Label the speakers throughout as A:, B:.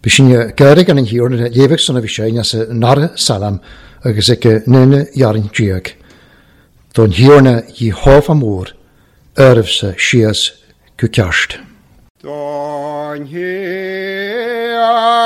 A: B'shin gairid an Thiarna léifeadh san a bhí sé as an ndara Salm agus ag an naonú dhearn déag. Don Thiarna Iehova mór, oraibhse síos go ceart.
B: Don Thiarna Iehova mór oraibhse síos go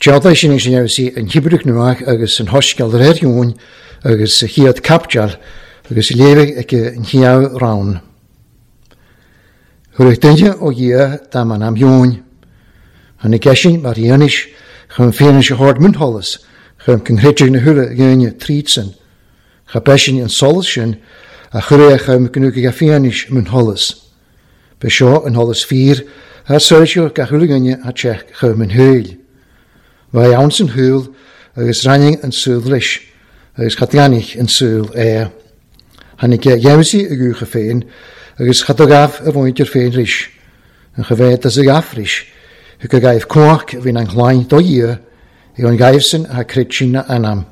A: Déanfaidh sin sin fheabhsaí an Thiobraid Nuadh agus an Shoiscéal de réir Eoin agus sa chéad caibidil agus léirigh ag an chéad rann. Chuirfeadh duine ó Dhia dá m'anam Eoin. Tháinig eisean mar fhianaise chun fianaise a thabhairt mionnsholas chun go ngreidfeadh na huile dhaoine trídsean. Cha b'eisean an solas sin a chuirfeadh chun go ndúchadh a fianaise mionnsholas. B'é seo an sholas fíor a soilseodh gach uile dhuine a teach chugam an shaoil. Bheadh ann san shaol agus ráinig an saol leis agus cha dtáinig an saol é. Tháinig a gheimhsí a dhúiche féin agus cha do ghabh a mhuintir féin ris, an cha bheadh do ghabh ris, thug a ghaibh cumhacht a bhíonn an chlainn do Dhia ag an ghaibhsan a chreid sin a anam.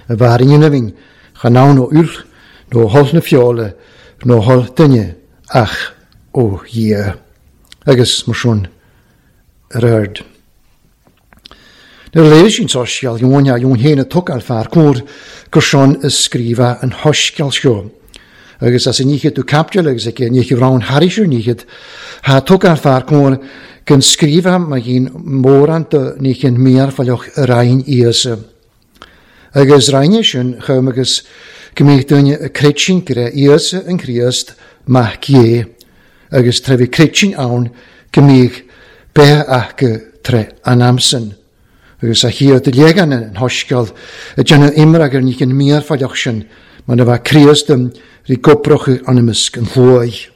A: A bhfearainn na bhinn chan ann ó fhuil nó ó thoil na feola nó ó thoil duine ach ó Dhia. Agus mar sin ar aird. Nuair a léirigh sí an soiscéal, Eoin a Eoin féin a tógáil fear cóir gur sin a scríobhadh an shoiscéal seo. Agus as an ndíchead do caibidil agus ag an ndíchead roinn thairis ar ndíchead, thá tógáil fear cóir gan scríobhadh má dhíon mórán do nícheann míarfaileach a roinn Íosa. Agus roinne sin chugam agus go mbíodh duine ag creidsin go raibh Íosa an Críost Mac Dé, agus tré bhí creidsin ann go mbíodh beatha acu tré an am san. Agus a chéad leagan an shoiscéal ag déanamh imreag ar ní an míorfaileach sin mar a bheadh Críost rí goprach ionamisc an shluaigh.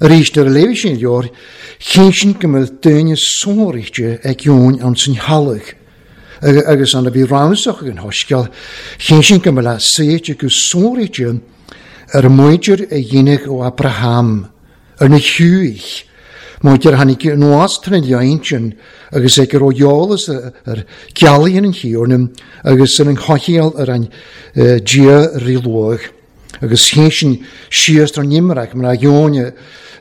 A: Arís nuair a léifidh sé an leabhar, chinn sin go mbeadh daoine sonraithe ag Eoin ann san theallach, agus an a bhí ramsach ag an shoiscéal, chinn sin go mbeadh saoite go sonraithe ar an muintir a dhéanadh ó Abraham, ar na Hiúigh, muintir a tháinig anuas tar an lein sin agus ag a raibh eolas ar gealaíon an Thiarna agus ar an choicheall ar an Dia rí luath. Agus chinn sin síos tar an imreac mar a Eoin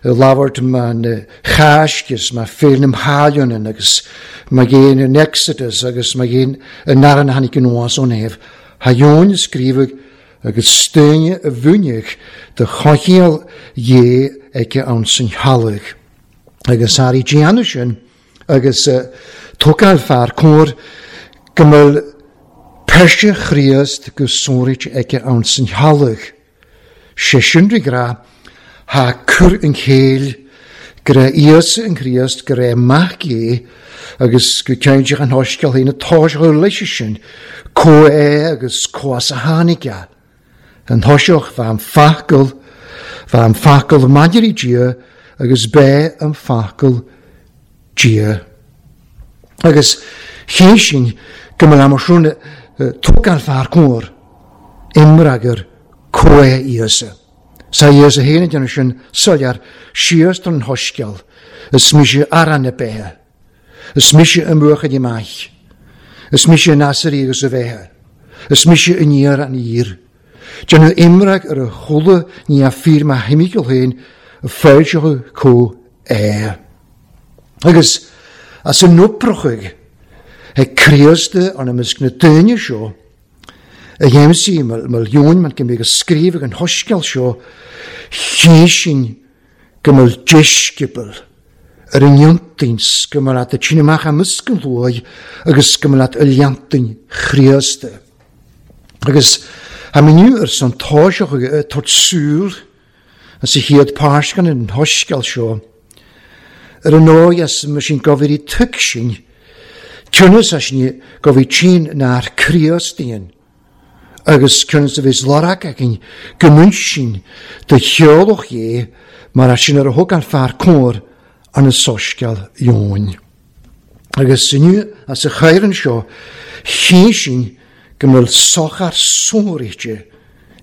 A: labhairt mar na Cháisc mar féil na mHailionan agus mar ghéin an Exodus agus mar ghéin an aran a tháinig anuas ón Éibh. Tha Eoin scríobhadh agus stóine a bhúineach do choicheall dhé aici ann san theallach. Agus ari déanamh sin agus tógáil fear cóir go mbeadh peirse Chríost go sonraithe aici ann san theallach. Sé sin rí grá, tha cur an chéill go raibh Íosa an Chríost go raibh mac é agus go ceann an shoiscéal féin atá sé leis sin, có é agus có as a tháinig é. An thoiseach bheith an focal, bheith an focal maidir i Dia agus b'é an focal Dia. Agus chéin sin go mbeadh am sin tógáil fear cóir imreagar có é Íosa. Sa Íosa féin ag déanamh sin soiléir síos don shoiscéal, is mise arán na beithe, is mise an buachaill maith, is mise an easairí agus a bheithe, is mise an fhíor an fhíor. Déanamh imreag ar a chuala ní a fíor má thimíceall féin a foilseochadh có é. Agus as an oprochaidh ag Críost an imeasc na daoine seo, a dhéansaí mar Eoin mar go mbeidh a scríobh an shoiscéal seo, chinn sin go mbeadh deisceabal ar an iontaoins go mbeadh leat a tine amach imeasc an luaith agus go mbeadh leat a leantain Chríosta. Agus a miniú ar son táiseach ag tabhairt súil as a chéad páiscean an shoiscéal seo, ar an ndóigh as mar sin go bhfuil tuig sin, cionnas as sin go bhfuil tinn nár Críostaíonn, agus cionnas a bhís lorg againn go mún sin do cheolach é mar as sin ar a thug an fear cóir an soiscéal Eoin. Agus inniu as a chairan seo, chinn sin go mbeadh sochar sonraithe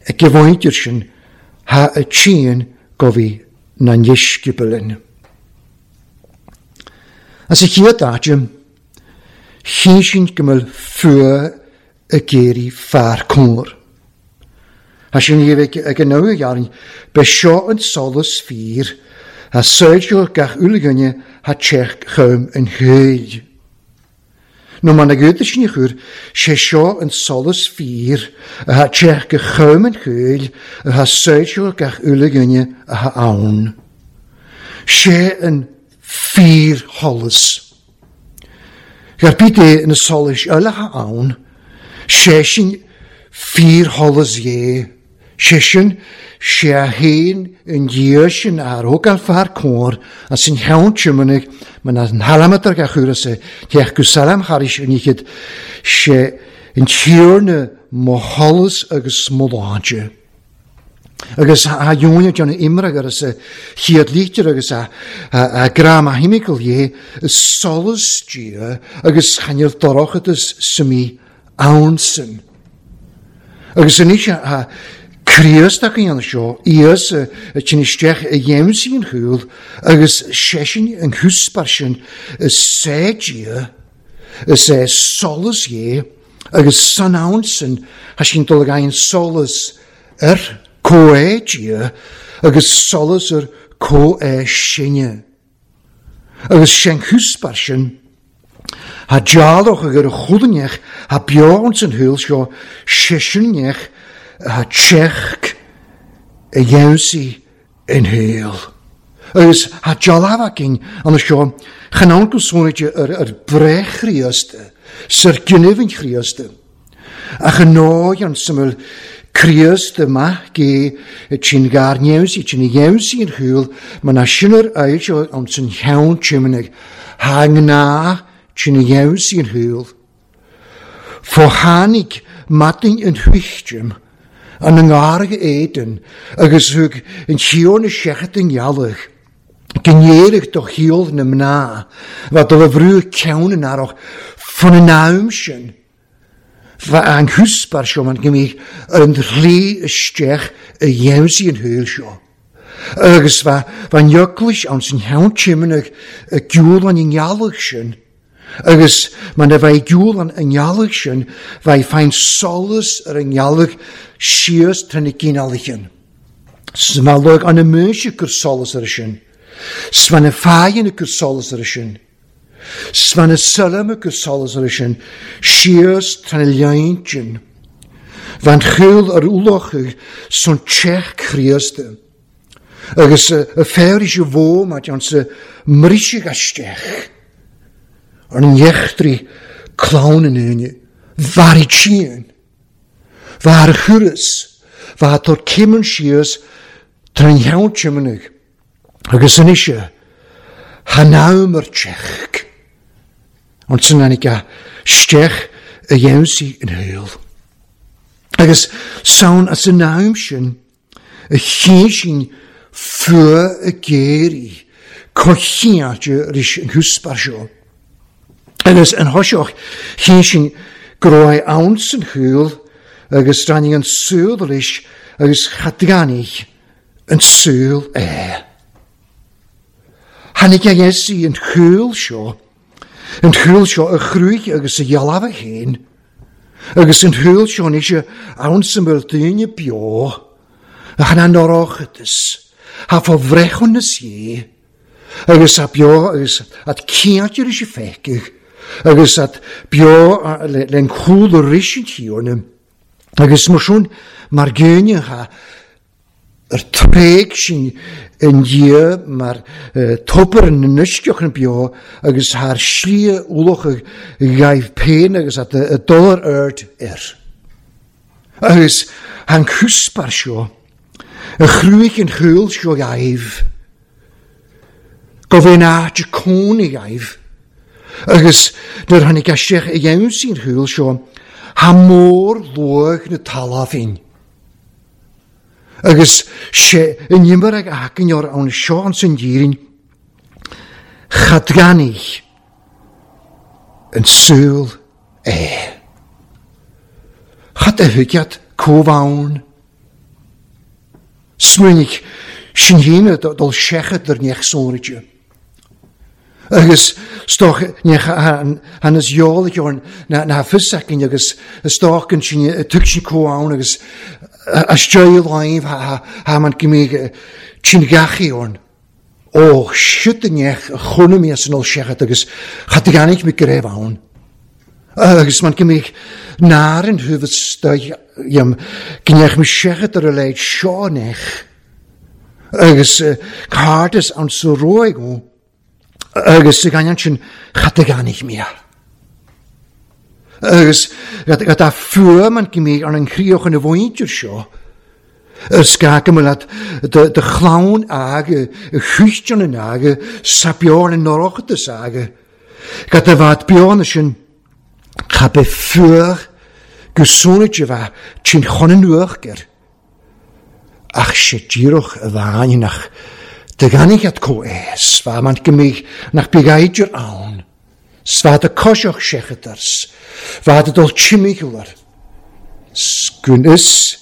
A: ag a mhuintir sin tha a tinn go bhí na ndeisceabalin. As a chéad áit, chinn sin go mbeadh fuath ag éirí fear cóir. Tá sin ag an nua ghearrainn, be seo an solas fíor, a soilseo gach uile dhuine tha teach chum an shaoil. Nó mar na gcuid sin a chur, sé seo an solas fíor, a teach go chum an shaoil, a soilseo gach uile dhuine atá ann. Sé an fíor-sholas. Gar bith é na solais eile atá ann, sé sin fíor-sholas dhé, sé sin sé a haon an Dia sin a thug an fear cóir as an cheann tiománaigh mar an thalamatar a chur as a theach go salam thairis an oíche sé an Tiarna mo sholas agus mo shláinte. Agus a dheoin déanamh imreag agus a chéad lítear agus a gra ma thimíceall dhé solas Dia agus chainneal dorchadas sa mí ann sin. Agus anois a Críost a dhéanamh seo, Íosa a tinn isteach a dhéansaí an chúl agus seisean an chúspar sin is sé Dia, is é solas dhé, agus san ann sin tha sin dul ag aghaidh solas ar comh Dia agus solas ar comh sinne. Agus sin chúspar sin, tha dealrach ag ar a chudaneach, tha beo an san thuil seo, seiseanneach, tha teach a dhéansaí in shaol. Agus tha dealbh againn an seo, chan ann go sónaide ar breith Chríost, sar gynnyf yn Chríost. Ach yn nói an syml Críost yma ge ti'n gar news i ti'n news i'n hwyl, mae na sy'n yr ail seo ond sy'n hiawn tymnig. Ha ngna sin a dheimhsigh an shaol. Fó tháinig maidin an thuistim an ngarga éadan agus thug an Tiarna seachad an ghealach go n-éirigh do shaol na mná bheith dul a bhrú ceann an earrach fan an am sin. Bheadh an húsbar seo mar go mbíodh ar an shlí isteach a dheimhsigh an shaol seo. Agus bheadh an eaglais ann san cheann tiomnach ag gciúl an ngealach sin. Agus mar a bheidh gciúl an ngealach sin, bheidh féin solas ar an ngealach síos tré na ginealaigh. 'S má luigh an mhuise gur solas ar sin. 'S má na fáidheanna gur solas ar sin. 'S má na soilme gur solas ar sin síos tré na leintinn. Bhean chúl ar ualach son teach Chríosta. Agus a féar is a mhó mar ansa mbriseadh isteach ar an eachtraí clann an aoine. Mharaigh tSíon. Bha ar thuras. Bha tor cimeann síos tar an cheann tiomanaigh. Agus anois tha n-am ar teach. Ansan tháinig a steach a dheimhsigh an shaol. Agus sann as an am sin a chinn sin fuath a géirí coitchianta ris an húsbar seo. Agus an thoiseach chinn sin go raibh ann san shaol agus ráinig an saol ris agus cha dtáinig an saol é. Tháinig a Iesu an shaol seo, an shaol seo a chrúigh agus a dhealbh féin, agus an shaol seo anois ann sa bhfuil daoine beo, a chan an oireachtas, ha fá bhreithiúnas é, agus a beo agus at cinnte leis a feicfidh, agus at beo len chúl ris an Tiarna, agus mar sin mar gcéanna ha ar tréig sin in Dia mar tobar na n-uisceach an beo agus thar slí ualach a ghaibh péin agus at a dul ar aird air. Agus an cúspar seo, a chrúigh an chúl seo ghaibh, go bhféin áit cónaí ghaibh, agus nuair tháinig isteach i gheansaí an chúl seo, tha mór luach na talmhaín. Agus sé an imir ag aicneoir ann seo an san dhírinn, cha dteannaigh an súil é. Cad a thuigead comh-ann? Smaoinigh sin féin dul seachad ar neach sonraite. Agus stoch neach han is eolach orn na fios againn agus stoch an sin tug sin comh-ann agus a steil láimh ha man go mbeidh sin gachaí orn. Ó, siúd a neach a chónaí mé as an ol seachad agus cha dteannaigh mé go raibh ann. Agus man go mbeidh náir an thuibh stoigh go ndeach mé seachad ar a leid seo neach. Agus cárdas an sa róig ó. Agus sa gcainneann sin cha dteannaigh mé. Agus go dá fuaim an go mbeidh ar an chríoch ina mhuintir seo. Is gá go mbeadh do chlann aga, a chuistean in aga, sa beo in oireachtas aga. Go do bheadh beo na sin, cha bith fuar go sónaid a bheith tinn chun an uachtair. Ach sé díreach a bhain nach do ghainigh at comh-aos, bha man go mbeidh nach beidh eidir ann. 'S bha do coiseach seachadars, bha do dul timcheall 's gun is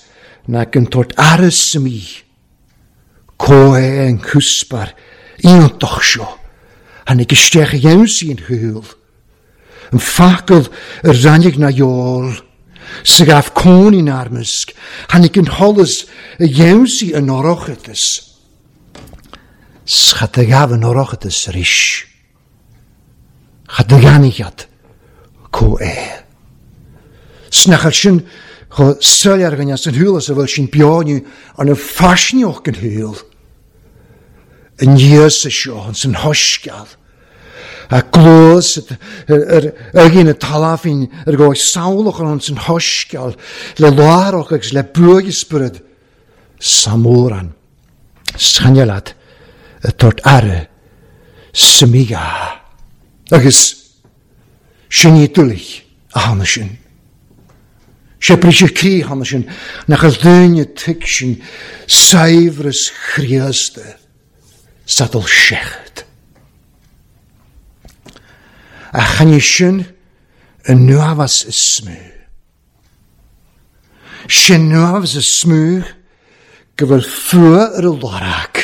A: na gun tort aras sa mí. Comh-é an cúspar iontach seo, tháinig isteach a dheimhsigh an shúil. An focal a ráinig na eol, sa ghabh cónaí in armasc, tháinig an sholas a dheimhsigh an oireachtas. 'S cha do ghabh an oireachtas arís. Cha do gheannaigh iad comh-é. 'S nach ar sin chomh soiléir againn as an shúil is a bhfuil sin beo inniu arna faisnéis den shaol. An Íosa seo ins an shoiscéal, a gcluas ar aghaidh na talmhaín ar dhóigh samhlach ins an shoiscéal le láithreach agus le buaidh spiorad sa mórán. Scainne leat a tabhairt aire sa mí-ghá. Agus. Sin iad uilig a tháinig sin. Sé briseadh croí a tháinig sin nach bhfuil duine tuigsin saibhreas Chríosta sa dul seachad. Ach chan é sin an uafás is mó. Sin uafás is mó go bhfuil fuath ar a lorg.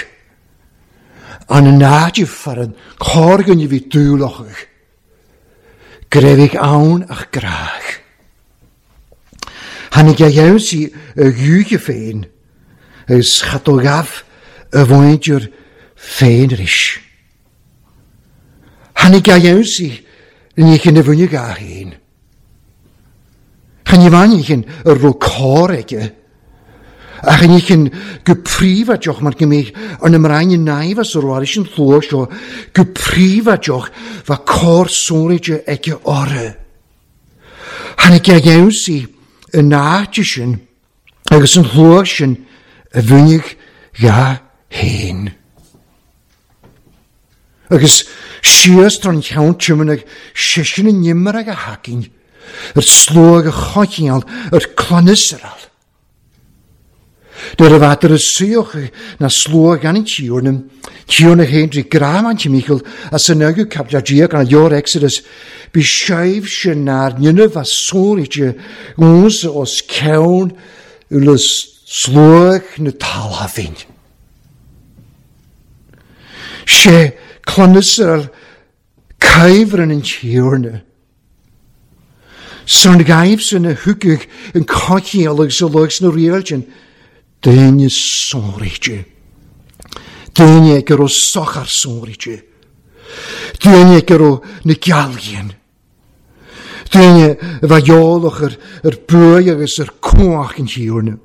A: An náid fear an chorr-dhuine a bhí dúlachadh. Go raibh ann ach grádh. Tháinig a dheamhsaí a dhúiche féin agus cha do ghabh a mhuintir féin arís. Tháinig a dheamhsaí i ndiaidh na bhfuinneog féin. Chan ní bhainfinn a raibh cor aige, ach ní chinn go príobháideach mar go mbeidh ar na mná na naimh as a raibh leis an tslua seo go príobháideach bheadh cor sonraithe aige orthu. Tháinig a dheamhsaí an áit sin agus an shlua sin a mhúineadh dhá fhéin. Agus síos tar an cheann tiomanaigh seisean an imreag a thacainn ar sluag a choinneáil ar clann Iosrael. Nuair a bheadar a suíoch na slua gan an Tiarna, Tiarna féin trí grá an timcheall as an agu caipiteal Dia gan leor Exodus, bí sibhse nár ndéanamh a sonraíte únsa os ceann le sluag na talmhain. Sé clann Iosrael caimhreann an Tiarna. San ghaibhsan a thugadh an coincheall agus a lucht sna riailtin, daoine sonraíte. Daoine go raibh sochar sonraíte. Daoine go raibh na gealghain. Daoine a bheadh eolach ar buaidh agus ar cumhacht an Thiarna.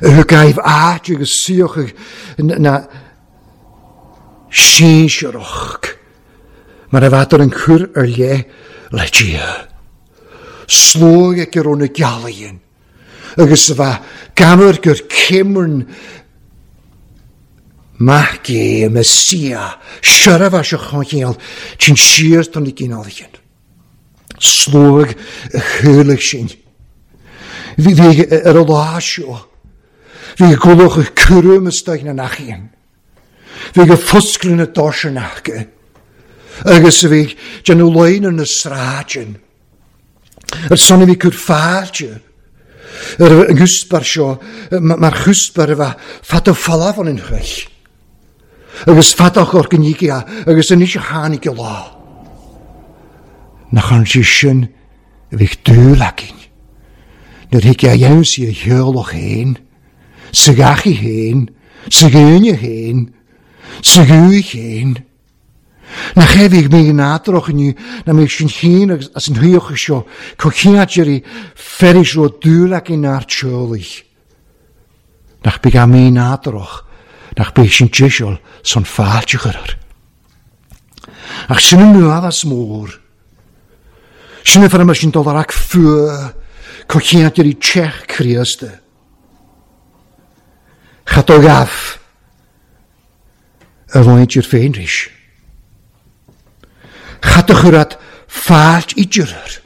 A: A thug aghaidh áit agus suíochadh na sinsearach. Mar a bheadar an cur ar leith le Dia. Sluaigh ag raibh na gealaighin, agus a bheadh gamhair gur céimrn Mac Dé, Mesia, seirbheis a choincheall tinn siar do na ginealaighin. Sluaigh a chualaigh sin. Bhí ar a lá seo. Bhí gulach ag cúram istoigh na n-achíonn. Bhí go foscladh na doirse acu agus a bhí ag déanamh laonna na sráideanna. Ar son a bhí cur fáilte ar an gcuspair seo mar chuspair a bheith fada folamh an chroich agus fada chor go nígea agus anois a tháinig a lá. Nach an sé sin a bhí dúil againn nuair thig a dhéanamh sí a sheoladh féin. Sa gheachaí féin, sa gcúinne féin, sa ghuth féin. Nach é bhíodh mé nádúrach inniu ná mbeadh sinn féin agus as an shuíochadh seo chomh chineáilt feris raibh dúil againn nár teolaigh. Nach beidh a mé nádúrach, nach beidh sin deiseal san fáilte chur air. Ach sin an uafás mór. Sin an fear mar sin dul ar ac fuath chomh chineáilt teach Críosta. Cha do ghabh a mhuintir féin ris. Cha do chuir at fáilt idir air.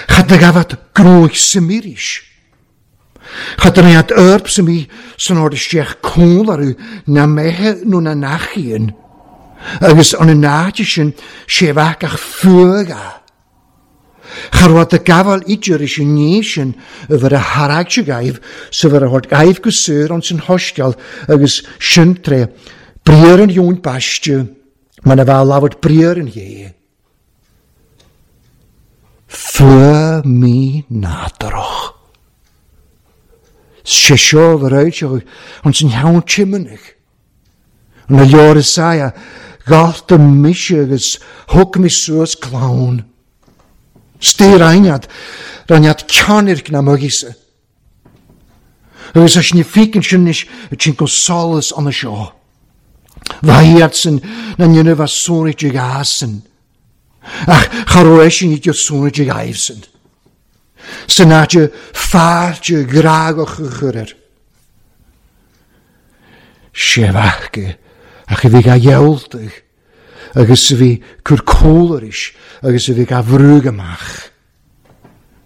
A: Cha do ghabh at gnóith suimí ris. Cha do at erb suimí san ord isteach cónlarú na meithe nó na nachaíonn. Agus an náite sin sé bheadh ach fuath Cha raibh de gabháil idir is an ní sin a bheith a tharraig agaibh sa bheith a thabhairt agaibh go saor ann san shoiscéal agus sin tré briathar an Eoin Baiste mar a bheadh labhairt briathar an Ghé. Fuath mí-nádúrach. Sé seo a bheith réiteach ann san cheann tiomanaigh. Na leor Isaiah, Ghalta mise agus thug mé suas clann. Stír aithnead, raithnead ceannairc na muigíse. Agus leis na fícin sin anois a tinn go solas an seo. Bha iadsan na ndéanamh a sonraí de ghásan. Ach cha raibh eisean idir sonraí de ghaibhsan. San áit fáilte ghrágach a chur air. Sé bheathga ach a bhí á ghealltadh. agus a bhí cur cúl aris agus a bhí ga bhrúg amach.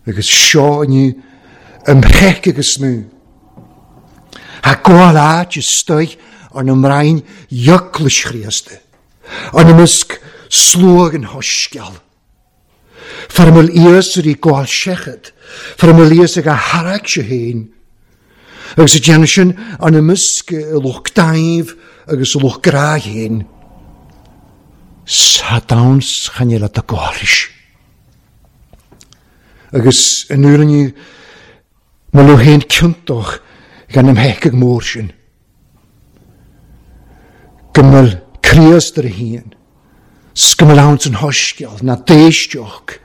A: Agus seo inniu an mheic agus mú. Thá gabháil áit istoigh ar na mbrainn Eaglais Chríosta, ar na measc sluagh an shoisceal. Far a bhfuil fhios ar í gabháil seichead, far a bhfuil fhios ag a tharraig-se féin. Agus ag déanamh sin ar na measc a lucht daimh agus a lucht grá féin. Sa domhan chan eile do gabháil. Agus in uair inniu, mo lú féin ciontach gan an mheiceadh mór sin. Go bhfuil Críost ar a shíon, 's go bhfuil ann san shoiscéal, ná d'éisteach.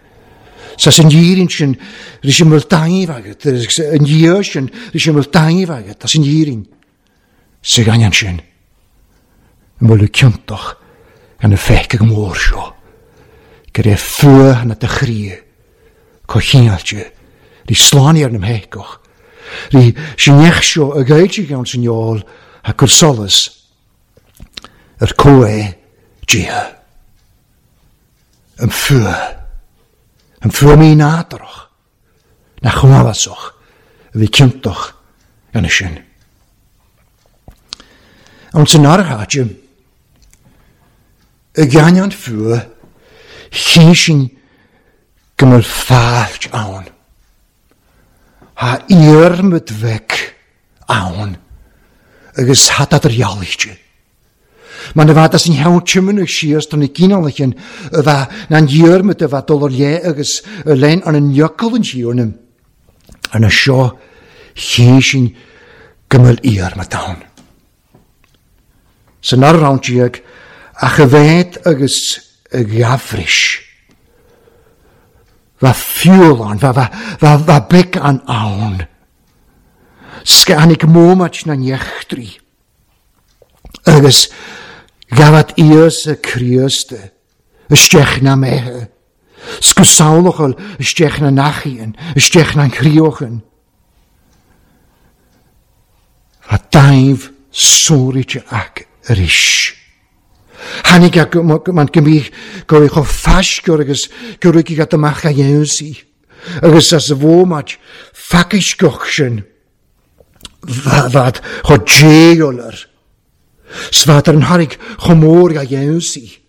A: 'S as an fhírinne sin, ris an bhfuil taitneamh agat, agus an Dhia sin, ris an bhfuil taitneamh agat, as an fhírinne. Sa ghainneán sin, an bhfuil tú ciontach gan an pheaca mór seo, go raibh fuath na do chroí chomh chineáilte, rí slán ar na mpeacach, rí sin neach seo a ghaeilge ann san fheoil a cur solas ar comh Dia. An fuath, an fuath mínádúrach, nach chomhfhiosach a bhí ciontach ina sin. Ann san áirithe, i gceann fuath, chinn sin go mbeadh fáilte ann. Thá iarmad bheag ann agus thá dad ar dhealaíte. Mar na bhead as an cheann tiomána síos do na ginealaigh a bheadh na an Dhiarmaid a bheadh dul ar leith agus ar lein ar an fhiacail an Thiarna ar na seo chinn sin go mbeadh Iarmaid ann. San amhrán déag ach a bhead agus a ghabhrais. Bheadh fiúl ann, bheadh beag an ann. Scannaigh mómaid na n-eachtraí. Agus ghabhad Íosa Críost isteach na méithe, 's go samhlachal isteach na n-achíonn, isteach na n-chríochan. Bha daimh sóraite ac arís. Tháinig a man go mbíodh go raibh chomh faisceoir agus go raibh agat amach a dhéansaí, agus as a bhómaid phacaisceach sin. Bhead chomh déileáil air. 'S bhead ar an thairg chomh mór dá dhéansaí.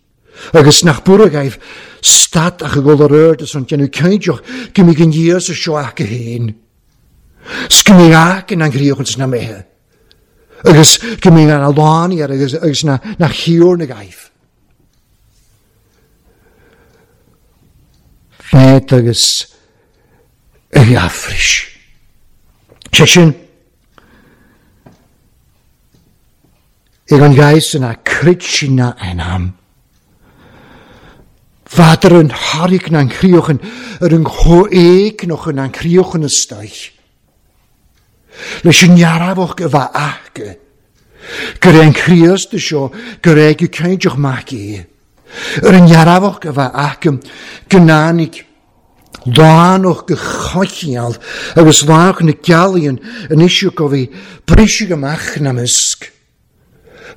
A: Agus nach buradh agaibh stad ach ag dul ar aird is an déanamh cinnteach go mbíodh an Íosa seo acu féin. 'S go mbíodh aice na ngríochán 's na méithe. Agus go mbíodh na lánaí air agus agus na na chiúrn agaibh. Bhead agus a gheafrais. Sé sin, ag an ghaoth san a crut sin na anam. Bhadar an tharraig na an chríochan ar an chomhéigneach na an chríochan istoich. Leis an ndearfadh a bheith aca, gur é an Críost seo gur éag cainteach mac é. Ar an ndearfadh a bheith aca go n-áinig lánach go choitcheall agus lánach na gealaíonn anois go bhí briseadh amach na measc.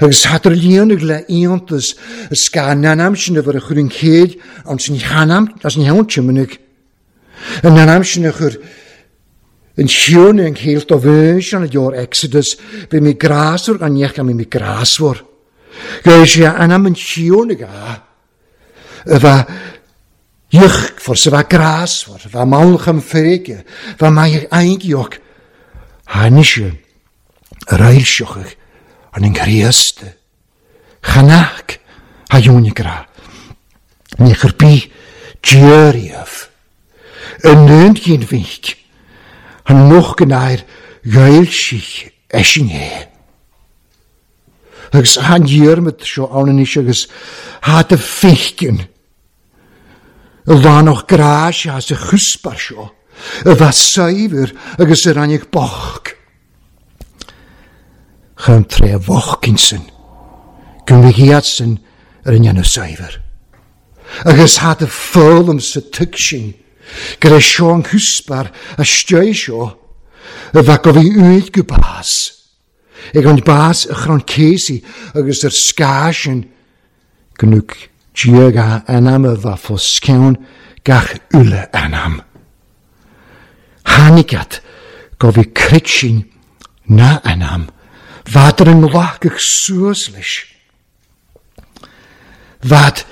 A: Agus thadar líonadh le iontas is ga n-anam sin a bhur a chur an chéad an sin cheanam as an cheann tiomanach. An n-anam sin a chur an chiúin an chéilt do bhí an leor Exodus bhí mé grásmhar gan neach gan mé grásmhar. Go sé anam an chiúin ga a bheith Íocfar sa bheith grásmhar, bheith mallcham feirge, bheith maith aingioch. Tháinig sé ar fhoilseochadh an an Chríost. Chanac ha dheonaigh grá. Ní chur bith Dia riamh. An aon mhic an noch go n-air ghaeilsigh eisean é. Agus an Diarmaid seo ann anois agus thá do féiceann. A lánach grá sé as a chuspar seo, a bheith saibhir agus a ráinig bocht. Chun tré bhocht insan, go mbeidh iadsan ar a ndéanamh saibhir. Agus thá do foghlaim sa tigh sin, go raibh seo an chuspar a stiúir seo, a bheith go bhí uaidh go bás. Ag an bás a chrann céasaí agus ar scáth sin go nuair. Dia dhá anam a bheith fós ceann gach uile anam. Tháinig at go bhí cruit ná anam, bheadar an nglacadh suas leis. Bhead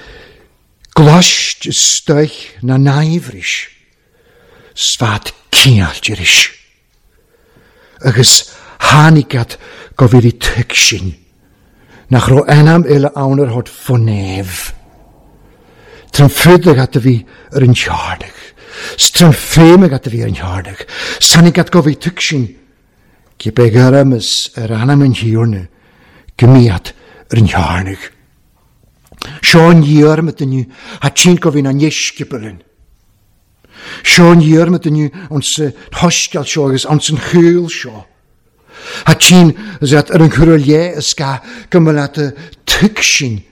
A: glaist istoich na n-aimhris, 's bhead cineáilt aris. Agus tháinig at go bhí tuig sin, nach raibh anam eile ann ar thod fo neamh. Tran fuideadh at a bhí ar an chearnach, 's tran féimeadh at a bhí ar an chearnach, 's tháinig at go bhí tuig sin, cibé gairm is ar anam an Thiarna, go mbí at ar an chearnach. Seo an Dhiarmaid inniu, ha tinn go bhí na ndeisceabailin. Seo an Dhiarmaid inniu an sa thoisceal seo agus an san chúl seo. Ha tinn is at ar an chur le is ga go mba leat a tuig sin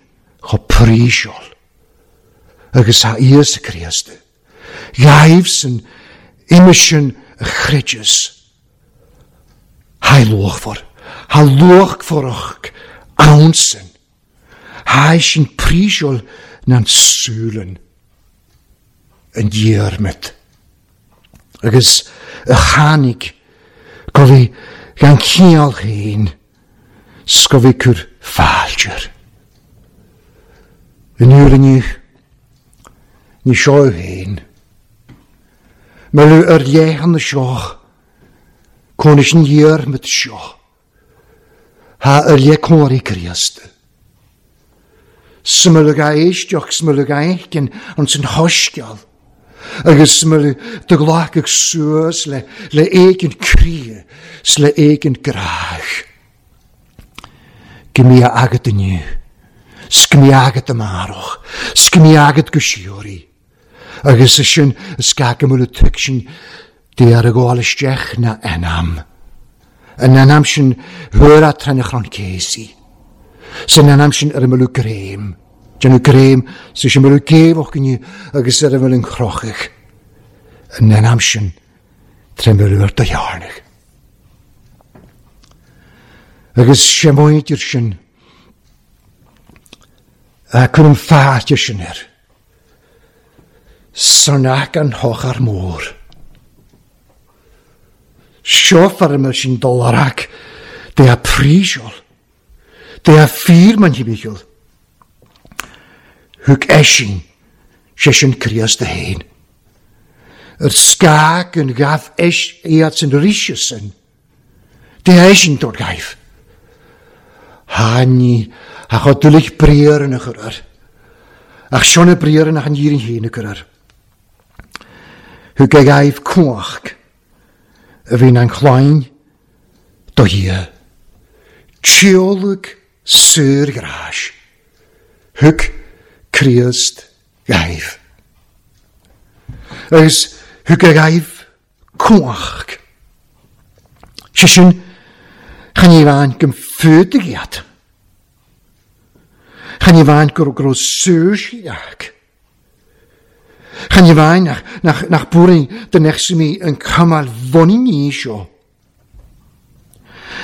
A: cho príseol. Agus ha Íosa Críost. Ghaibh san ime sin a chreideas. Ha luachmhar. Ha luachmharach ann sin. Ha sin príseol na súlan an Diarmaid. Agus a tháinig go bhí gan cineál féin 's go bhí cur fáilte. An uair inniu, ní seo féin. Milleadh ar leith an seo, cónais an Diarmaid seo. Ha ar leith cóirí Críost. Smileadh a éisteach, smileadh a fheicin an san thoisceal. Agus smileadh do ghlacadh suas le le éigin croí 's le éigin grách. Go mbí agat inniu, 's go mbí agat amárach, 's go mbí agat go síoraí. Agus is sin is gá go bhfuil tuig sin Dé ar a ghabháil isteach na anam. An anam sin thuar a tráth na chrann céasaí. San anam sin ar a mbeadh greim. Déanadh greim sa sin mbeadh géabhach inniu agus ar a bhfuil an chrochadh. An anam sin tré mbeadh ar do dhearnadh. Agus sé mhuintir sin a cuirim fáilte sin air. San ac an thochar mór. Seo fear sin dul ar ac de a príseol, de a fíor man thimcheall. Thug eisean, sé sin Críost a fhéin. Ar scag an ghabh eis iad san ríse sin. De eisean dor gaibh. Tháinig a chomh duilich briathar ina chur air. Ach seo na briathra nach an dhírin féin a chur air. Thug a ghaibh cumhacht a bhí an chloinn do Dhia. Tíolaic saorghráis. Thug Críost ghaibh. Agus thug a ghaibh cumhacht. Sé sin, chan ní bhain go fuadaigh iad. Chan ní bhain go raibh saoirse acu. Chan ní bhain nach, nach, nach buaireann do nechsimi an camáil bhunaidh seo.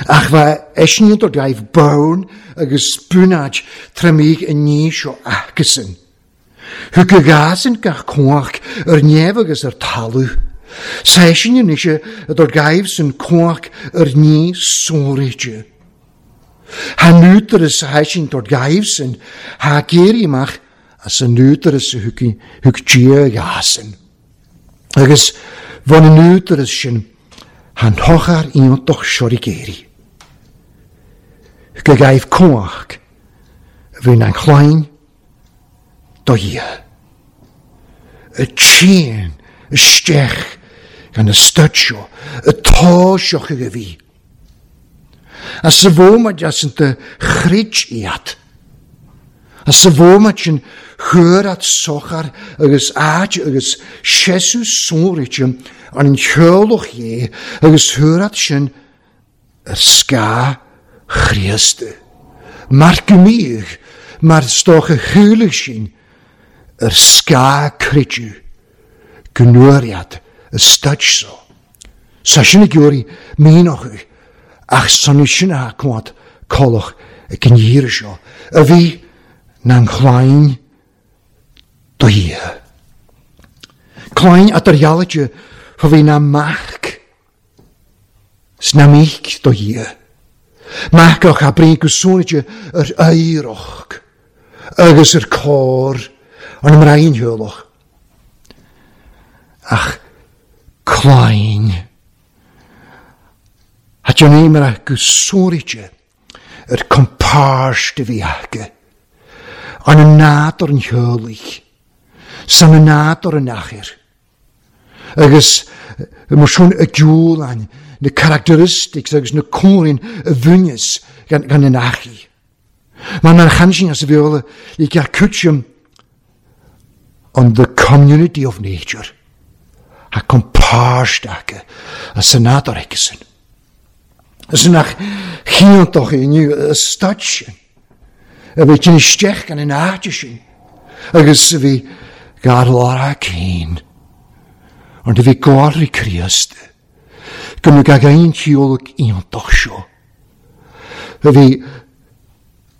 A: Ach bheith eisníonn do gaibh bonn agus bunáid tramígh an ní seo acusan. Thug a ghásan gach cumhacht ar neamh agus ar talamh. Seisean anois a dor gaibh san cumhacht ar ní sonraíte. Ha nútaras a heisin dor gaibh san, ha géirí amach as an nútaras a thug thug Dia ghásan. Agus bhain an nútaras sin han thochar iontach seo géirí. Thug a gaibh cumhacht a bhí an chloinn do Dhia. A tséan isteach gan a stud seo, a tá seo chuig a bhí. As sa bhómaid as an de chreid iad. As sa bhómaid sin chuir at sochar agus áit agus sesu sonraite an an cheolach é agus chuir at sin ar scáth Chríost. Mar go mbíodh, mar stocha chuala sin ar scáth creideamh go nuair a stud so. Sa sin a gcuirí mínocha ach sanú sin a cuat colach ag an dhíre seo a bhí na an chláin Do Dhia. Clainn a d'iarraidh fá bhí ná mac 's ná mic do Dhia. Mac ach a brí go suaite ar oidhreacht agus ar cóir an mbraintheolach. Ach clainn a déanaimar go suaite ar compáirt a bhí aige, an nádúr an theolaigh, san nádúr an achair, agus mar sin a diúlainn na characteristics agus na córain a bhaineas gan an achaí. Mar chan sin as a bheola le ceart cúiteam on the community of nature. A compáirt aige as an nádúr aigesan. Is nach chiontach inniu a staid sin, a bhí tinn isteach gan an áit sin, agus a bhí gar lár a cinn, an a bhí gáirí Críost, go mbeadh gach aon chiall iontach seo, a bhí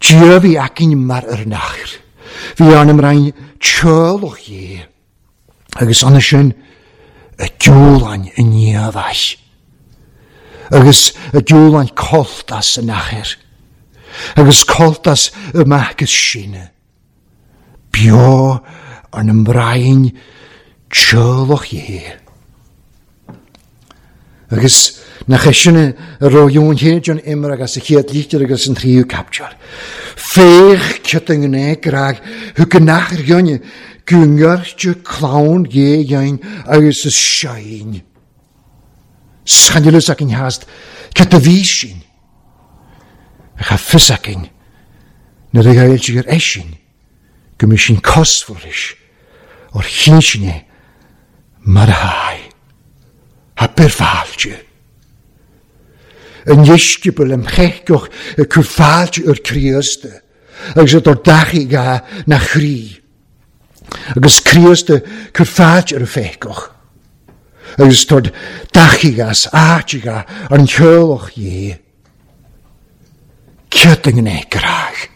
A: Dia a bhí againn mar ar an athair, bhí ann roinn teaghlach Dhé, agus ann sin a diúlainn i ndiaidh agus a diúlainn cultas an athair, agus cultas y mac is sine, beo ar na mbrainn teaghlach Dhé. Agus nach é sin a raibh Eoin Héid an imir agus a chéad litir agus an tríú caipteal. Féach cioth an ghné grag thug an athair ghainne go ngoirte clann Dhé ghainn agus is seinn. Scanralus againn theast cioth a bhí sin. Ach a fios againn nuair a ghaeilge ar eisin go mbeidh sin cosmhar leis or chinn sin é mar a tháidh. Abair fáilte. An dheisceabail am cheiceach ag cur fáilte ar Críost agus a dtor dachaigh ga na chroí. Agus Críost ag cur fáilte ar a feiceach agus tor dachaigh as áit ga ar an cheolach dhé. Céard a ngné grách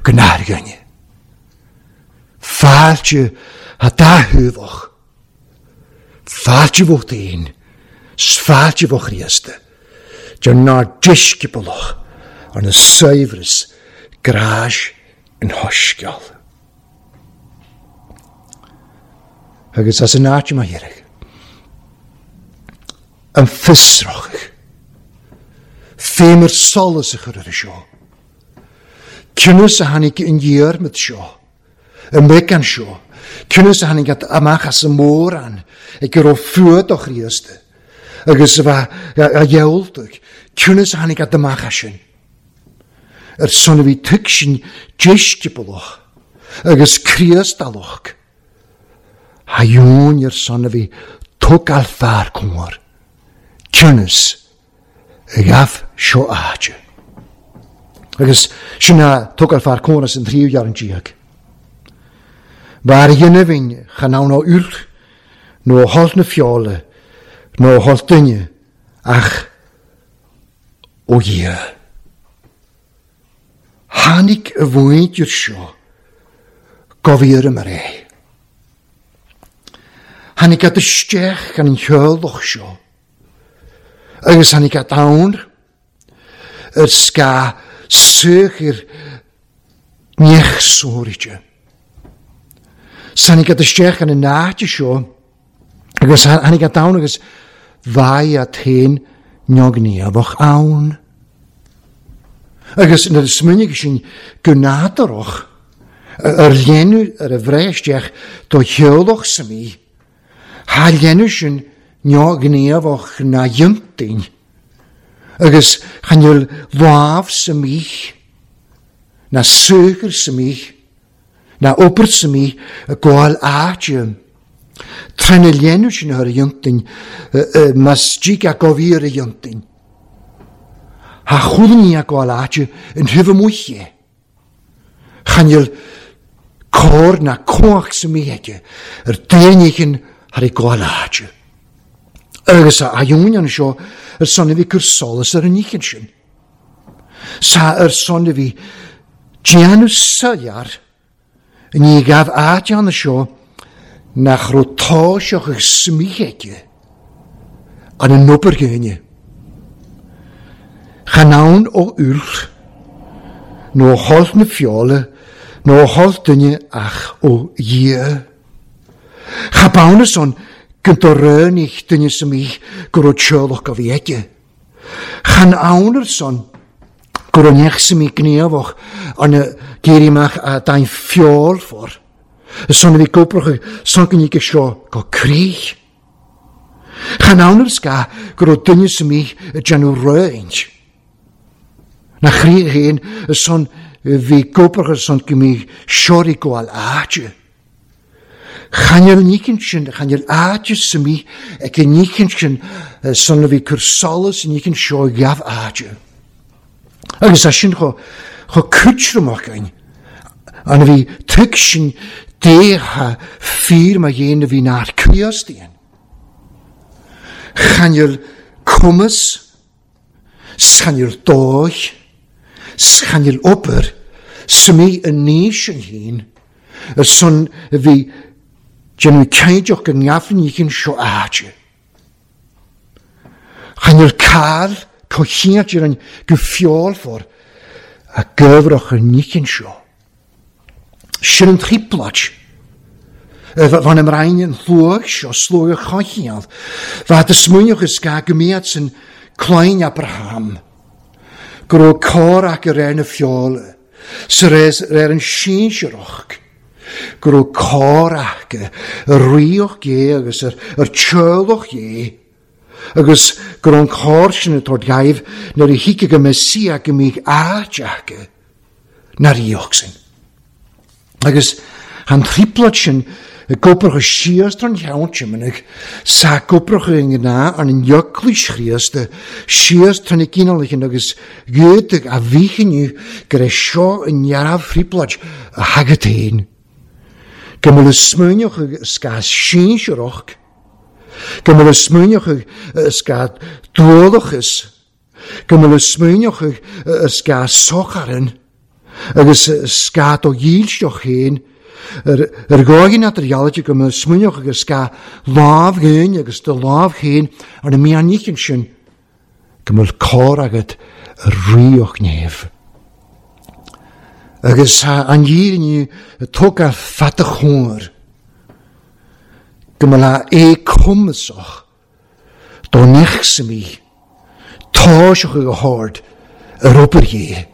A: go n-airgeann. Fáilte a dá-thaobhach. Fáilte bhó féin, 's fáilte bhó Chríost, de nár deisceabalach ar na saibhreas gráis an shoiscéal. Agus as an áit má iarraidh, an fiosrach, féimir solas a chur ar seo. Cionnas a tháinig an Diarmaid seo, an mbeagán seo, cionnas a tháinig amach as an mórán ag go raibh fuath do Chríost agus a bheith a ghealltaigh, cionnas a tháinig amach as sin. Ar son a bhí tuigsin deisceabalach agus Críostalach, a dheoin ar son a bhí tógáil fear cóir, cionnas a ghabh seo áite. Agus sin a tógáil fear cóir as an tríú ghearr an díog. Bhar dhéanamh chan ann ó uirth nó holl na feola nó holl duine ach ó Dhia. Tháinig a mhuintir seo go bhfíor mar é. Tháinig ad isteach gan an cheolach seo agus tháinig ad ann ar scáth saothar neach sóirte. Tháinig ad isteach gan an áit seo agus tháinig ad ann agus bhaidh ad féin neogníomhach ann. Agus nuair a smaoinigh sin go nádúrach ar léanamh ar a bhreith isteach do cheolach sa mí, thá léanamh sin neogníomhach na dhiontaoin, agus chan fhuil lámh sa mí, ná saothar sa mí, ná obair sa mí ag gabháil áite. Trína léanamh sin ar a dhiontaoin, más dtig a gabh ar a dhiontaoin. Thá chuile ní ag gabháil áite in thaobh amuigh é. Chan fhuil cóir ná cumhacht sa mí aige ar d'aon éigin thar ag gabháil áite. Agus a dheoin anseo ar son a bhí cur solas ar an oíche sin. Sa ar son a bhí déanamh soiléir Ní ghabh áit ann seo nach raibh toiseach ag smith aici an an obair ghéine. Chan ann ó uair, nó ó thoil na feola, nó ó thoil duine ach ó Dhia. Cha b'ann ansan go do-ráinig duine sa mbith go raibh teaghlach a bhí aici. Chan ann ar son go raibh neach sa mbith gníomhach arna d'éirí amach a d'ain feoil for, ar son a bhí gobrach san go níce seo go crích. Chan ann ar scáth go raibh duine sa mbith ag déanamh roinnt. Na chroí féin ar son bhí gobrach ar son go mbíodh seoraí gabháil áite. Chan ar an oícheant sin, chan ar áite sa mbith ag an oícheant sin san a bhí cur solas an oícheant seo ghabh áite. Agus é sin chomh chomh cúitreamach againn an a bhí tuig sin déithe fíor mar dhéin a bhí nár Críost aon. Chan ar cumas 's chan ar dóigh, 's chan ar obair, 's mí an ní sin féin, ar son a bhí déanamh caighdeach go ngeafann oícheann seo áite. Chan ar cáil comhchinnte ar an go feolfar a gcabhrach an oícheann seo. Sin an trioblóid. Bhain an Roinn an shluagh seo, sluagh a choincheall. Bheadh do smaoineamh is gá go mbeadh san clainn Abraham, go raibh cor acu ar na feola, sa réir an sinsearach, go raibh cor acu ar ríocht Dhé agus ar teaghlach Dhé, agus go raibh an cor sin ag tabhairt dhaoibh nuair a thiocfadh an Mesia go mbeadh áit acu. Na ríocht sin. Agus an trioblóid sin ag obair go síos don cheann Tiomanaigh, 's ag obair go gnáth an Eaglais Chríosta síos tar na ginealaigh agus Giúdaigh a mhíchinniú gur é seo an neamh-thrioblóid a thagadh féin. Go mbeadh smaoineamh scáth sinsearach, go mbeadh smaoineamh scáth dualachas, Go mbeadh smaoineochaidh ar scáth socharann agus scáth do dhílseach féin, ar dhóigh ná tar ghealaigh go mbeadh smaoineochaidh ar scáth lámh féin agus do lámh féin ar na meánoícheann sin, go mbeadh cor agat ar ríocht neimh. Agus tá an fhírinne tugtha fada chóir go mbeadh é cumasach Dá ndeachsamí, tá sé go hard ar obair Dhé.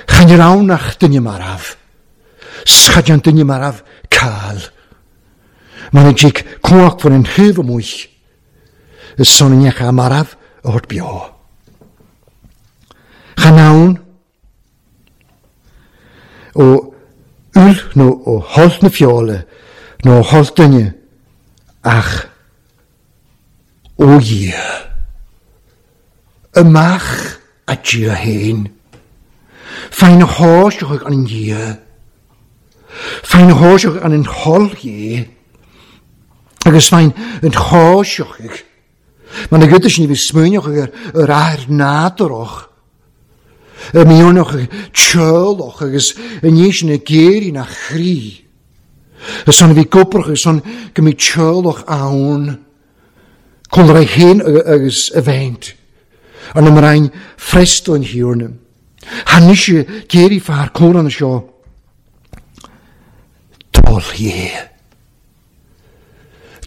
A: Chan ar ann ach duine marbh. 'S cha dean duine marbh cáil. Mar a dtig cumhacht bhur an thaobh amuigh, is son a ndeacha marbh a thabhairt beo. Chan ann ó fhuil nó ó thoil na feola nó ó thoil duine ach ó Dhia. Amach a Dhia féin. Faigh na háiseacha an Dhia. Faigh na háiseacha an thoil Dhé. Agus faigh an cháiseacha. Mar na gcuid sin a bhí smaoineach ar ar athair nádúrach, a mionach teaghlach agus i ndiaidh sin ag éirí na chroí. Is ann a bhí gobrach agus ann go mbí teaghlach ann, cúlra é féin agus a bheint, an mbrainn freastal an Thiarna. Tháinig sé d'éirí fear cúlra na seo. Toil Dhé.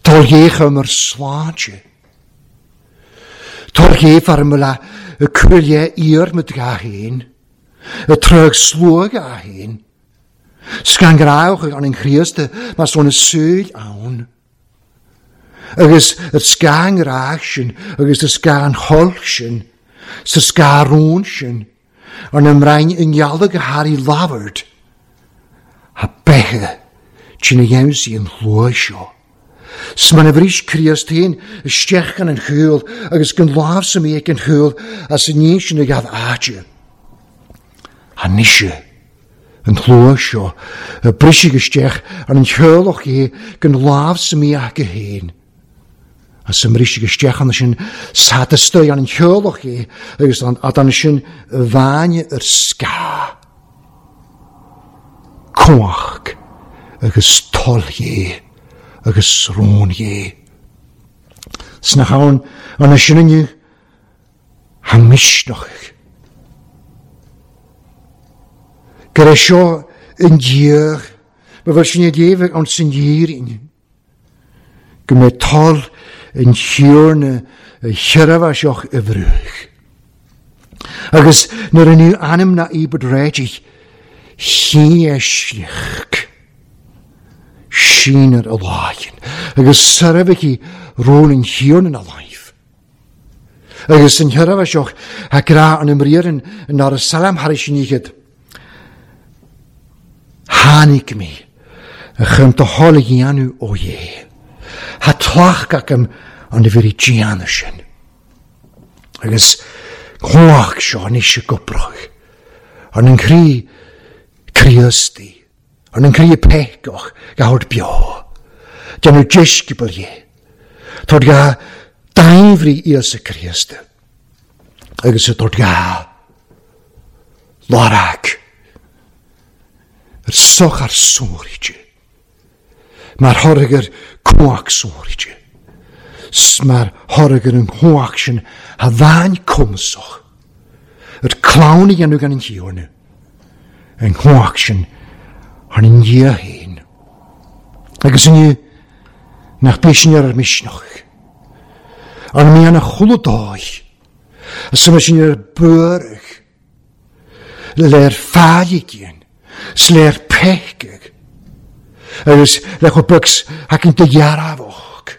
A: Toil Dhé chum ar sláinte. Toil Dhé fear mo le cuaille iar mo dra féin, a trög sluag a féin. Scangrauch an an Chríost mar son a súil ann. Agus y scangrach sin, agus y scanholch sin, sa scarún sin, an ymrain yn ialog a Harry Lavard, a beithe trína dhéanamh an shlua seo. 'S mar a bhris Críost féin isteach gan an chúl agus gan lámh sa mí ag an chúl as an ní sin a ghabh áite. Anois an shlua seo a briseadh isteach ar an theaghlach é gan lámh sa mí acu féin. As a mbriseadh isteach ann sin satastaigh an theaghlach é agus an sin bhaine ar scáth. Cumhacht agus toil Dhé agus rún Dhé. Sna hann an sin inniu ha misneach. Gur é seo an diadh ba bhfuil sin ag léamh ann san Fhírinne, go mbeidh toil an Thiarna sheirbhíseach i bhfraoch. Agus nuair a níodh ainm ná íobairt réitigh, shíneadh síneadh a láimh agus seirbhísí rún an Thiarna na láimh. Agus an sheirbhíseach a grá an imríorann in áras Salem thar sin iad. Tháinig mé chun do thoil a dhéanamh, ó Dhé. Tá tlacht agam an bhrí déanamh sin. Agus cumhacht seo anois i gcoprach, ar an gcroí Críostaí, ar an gcroí peacach ga thabhairt beo, déanamh deisceabail dhe, tabhairt ga dainbhrí Íosa Críosta, agus a tabhairt ga lorg ar sochar sóirte, mar thoradh ar cumhacht sóirte, 's mar thoradh ar an chumhacht sin a bhain cumasach ar clann a dhéanamh gan an Tiarna, an chumhacht sin thar an Dia féin. Agus inniu, nach bíodh sin ar ár misneach, ár mianach chuile dóigh, is mar sin ar buarach, léir failligíonn, 's léir peicigh, agus le chomh beag 's thacainn do dhearmhach,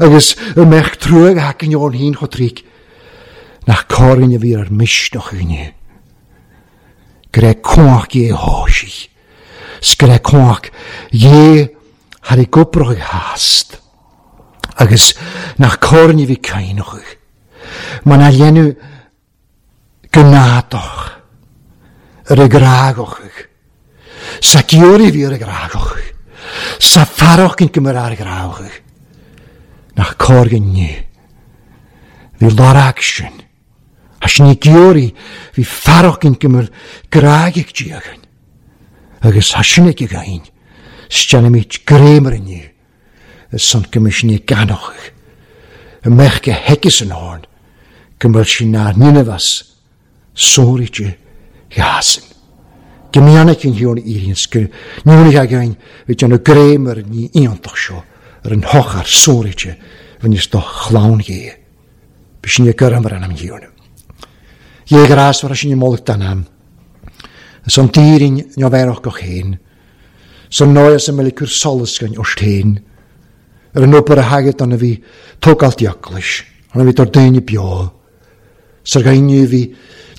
A: agus a mbeadh truaigh thacainn ón fhéin chomh tríc, nach córainn a bhí ar misneach inniu, go raibh cumhacht Dhé thoisigh, 's go raibh cumhacht Dhé thar i gcoprach theast, agus nach córainn a bhí caoineach, mar nár dhéanamh gnádach ar a grágach. Sa giorria bhí ar a grágach. Sa fearach go mar ar a grágach. Nach cóir go inniu. Bhí lorg sin. A sin i giorria bhí fearach go mar grágach diagain. Agus a sin ag againn. Steannaimid gréimar inniu. Is san go mbeidh sin ag ganoch. A mbeadh go heice san horn, go mbeadh sin nár ninbheas sóirite ghasan. Go mbeannaigh an Thiarna Éireann 's go ndúnaigh againn bhí déanamh greim ar an ní iontach seo, ar an shochar sóirite bhaineas do chlann Dhé. Bhí sin ag gurm ar ainm an Thiarna. Dhé ghrásmhar sin i mullach den am. Is an d'Éirinn neamhbhéarach go chéin. San ndóigh is a mbeidh cur solas againn ort féin ar an obair a thagadh don a bhí tógáil d'eaglais, an a bhí dár daoine beo, 's ar dhaoine a bhí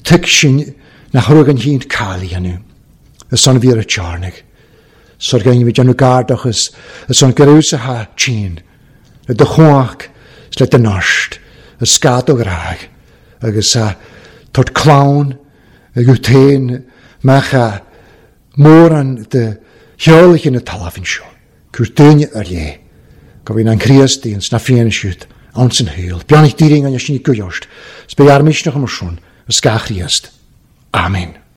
A: tuig sin nach raibh an chéad cáil a dhéanamh, is an bhí ar a tearnaigh, 's ar dhaoine a bhí déanamh gardachas, is an go raibh sa tha tinn, le do chumhacht 's le do neart, is ga do ghrádh, agus a tabhairt clann agat féin mbeadh a. mórán de theolaithe na talmhan seo, cur duine ar leith, go bhfuil an Críost ins na fianna siúd ann san shaol. Beannacht Dé linn sin i gcuid ort, 's beidh ár misneach mar sin, is gach Chríost. Amen.